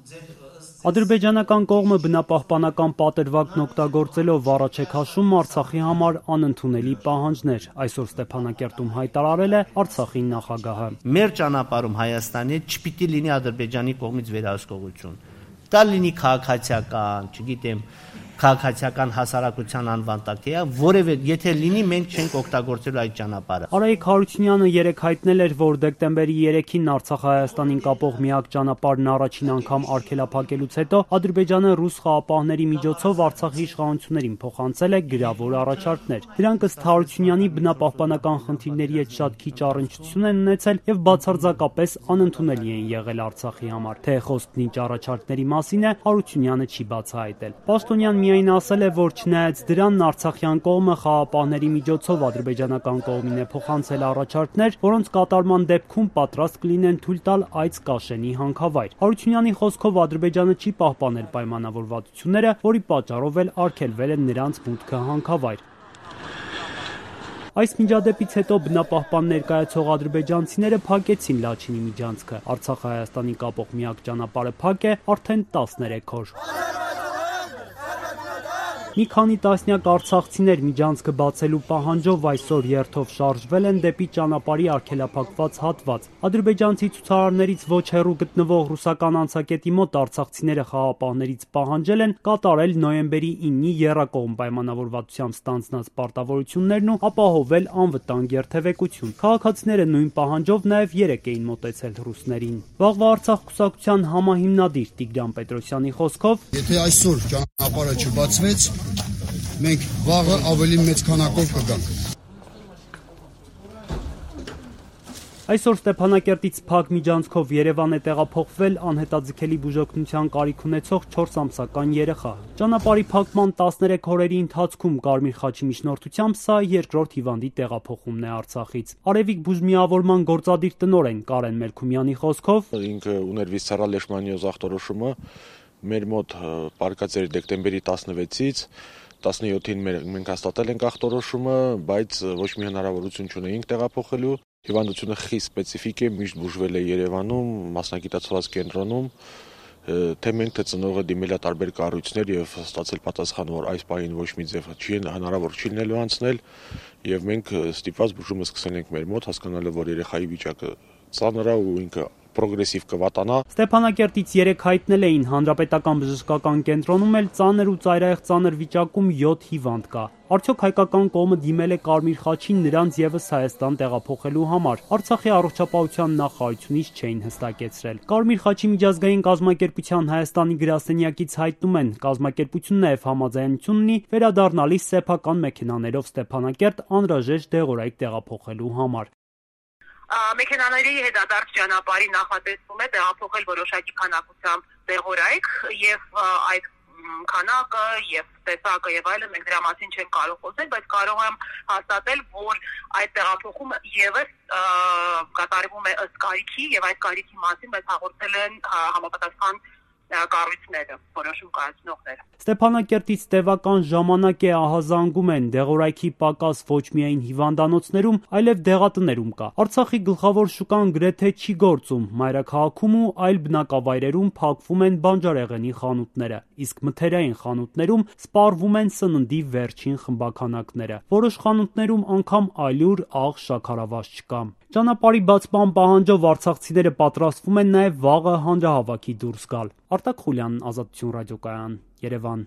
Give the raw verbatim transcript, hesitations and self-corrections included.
Ադրբեջանական կողմը բնապահպանական պատերվակն օգտագործելով առաջ է քաշում Արցախի համար անընդունելի պահանջներ, այսօր Ստեփանակերտում հայտարարել է Արցախի նախագահը։ Մեր ճանապարհում Հայաստանի չպիտի լինի Ադրբեջանի կողմից վերահսկողություն։ Դա լինի քաղաքացիական, չգիտեմ, քաղաքացիական հասարակության անվան տակ է, որևէ եթե լինի մենք չենք օգտագործելու այդ ճանապարհը։ Արայիկ Հարությունյանը երեկ հայտնել էր, որ դեկտեմբերի երեքին Արցախ-Հայաստանին կապող միակ ճանապարհն առաջին անգամ արգելափակելուց հետո Ադրբեջանը ռուս խաղապահների միջոցով Արցախի իշխանություններին փոխանցել է գրավոր առաջարկներ։ Դրանք ըստ Հարությունյանի բնապահպանական խնդիրների հետ շատ քիչ առնչություն են ունեցել եւ բացարձակապես անընդունելի են եղել Արցախի համար։ Թե խոսքն ինչ առաջարկների մասին է, Հարությունյանը չի բացահայտել։ Պաշտոնյան միայն ասել է, որ չնայած դրան Արցախյան կողմը խաղապահների միջոցով ադրբեջանական կողմին է փոխանցել առաջարկներ, որոնց կատարման դեպքում պատրաստ կլինեն թույլ տալ այց Կաշենի հանքավայր։ Հարությունյանի խոսքով Ադրբեջանը չի պահպանել պայմանավորվածությունները, որի պատճառով էլ արգելվել է նրանց մուտքը հանքավայր։ Այս միջադեպից հետո բնապահպան ներկայացող ադրբեջանցիները փակեցին Լաչինի միջանցքը։ Արցախ-Հայաստանի կապող միակ ճանապարհը փակ է արդեն տասներեք օր։ Մի քանի տասնյակ արցախցիներ միջանցքը բացելու պահանջով այսօր երթով շարժվել են դեպի ճանապարհի արգելափակված հատված։ Ադրբեջանցի ցուցարարներից ոչ հեռու գտնվող ռուսական անցակետի մոտ արցախցիները խաղապահներից պահանջել են կատարել նոյեմբերի իննի եռակողմ պայմանավորվածությամբ ստանձնած պարտավորություններն ու ապահովել անվտանգ երթևեկություն։ Քաղաքացիները նույն պահանջով նաև երեկ էին մոտեցել ռուսներին։ Վաղվա Արցախ կուսակցության համահիմնադիր Տիգրան Պետրոսյանի խոսքով, եթե այսօր ճանապարհը չբացվեց, մենք վաղը ավելի մեծ քանակով կգանք։ Այսօր Ստեփանակերտից փակ միջանցքով Երևան է տեղափոխվել անհետաձգելի բուժօգնության կարիք ունեցող չորս ամսական երեխա։ Ճանապարհի փակման տասներեք օրերի ընթացքում Կարմիր խաչի միջնորդությամբ սա երկրորդ հիվանդի տեղափոխումն է Արցախից։ Արևիկ բուժմիավորման գործադիր տնօրեն Կարեն Մելքումյանի խոսքով, ինքը ուներ վիսցերալ լեշմանիոզ ախտորոշումը, մեր մոտ պարկած էր դեկտեմբերի տասնվեցից, տասնյոթին մենք հաստատել ենք ախտորոշումը, բայց ոչ մի հնարավորություն չունեինք տեղափոխելու։ Հիվանդությունը խիստ սպეციფიկ է, միշտ բուժվել է Երևանում, մասնագիտացված կենտրոնում, թե մենք թե ծնողը դիմել է տարբեր կառույցներ եւ ստացել պատասխան, որ այս պահին ոչ մի ձև չի հնարավոր չի լինելու անցնել, եւ մենք ստիպված բուժումը սկսել ենք մեր մոտ, հասկանալով, որ երեխայի վիճակը ծանր է ու ինքը պրոգրեսիվ կվատանա։ Ստեփանակերտից երեկ հայտնել էին Հանրապետական բժշկական կենտրոնում էլ ծանր ու ծայրահեղ ծանր վիճակում յոթ հիվանդ կա։ Արդյոք հայկական կողմը դիմել է Կարմիր խաչին նրանց եւս Հայաստան տեղափոխելու համար։ Արցախի առողջապահության նախարարությունից չէին հստակեցրել։ Կարմիր խաչի միջազգային կազմակերպության Հայաստանի գրասենյակից հայտնում են, կազմակերպությունն նաեւ համաձայնություն ունի վերադառնալիս սեփական մեքենաներով Ստեփանակերտ անհրաժեշտ դեղորայք տեղափոխելու համար։ Մեքենաների հետադարձ ճանապարհի նախատեսվում է տեղափոխել որոշակի քանակությամբ դեղորայք եւ այդ քանակը եւ տեսակը եւ այլն մենք դրա մասին չենք կարող խոսել, բայց կարող եմ հաստատել, որ այդ տեղափոխումը եւս կատարվում է ըստ կարիքի եւ այդ կարիքի մասին մեզ հաղորդել են համապատասխան կառույցները, որոշում կայացնողները։ Ստեփանակերտից տևական ժամանակ է ահազանգում են դեղորայքի պակաս ոչ միայն հիվանդանոցներում, այլև դեղատներում կա։ Արցախի գլխավոր շուկան գրեթե չի գործում, մայրաքաղաքում ու այլ բնակավայրերում փակվում են բանջարեղենի խանութները, իսկ մթերային խանութներում սպառվում են սննդի վերջին խմբաքանակները։ Որոշ խանութներում անգամ ալյուր, աղ, շաքարավազ չկա։ Ճանապարհի բացման պահանջով արցախցիները պատրաստվում են նաև վաղը հանրահավաքի դուրս գալ։ Արտակ Խուլյան, Ազատություն ռադիոկայան, Երևան։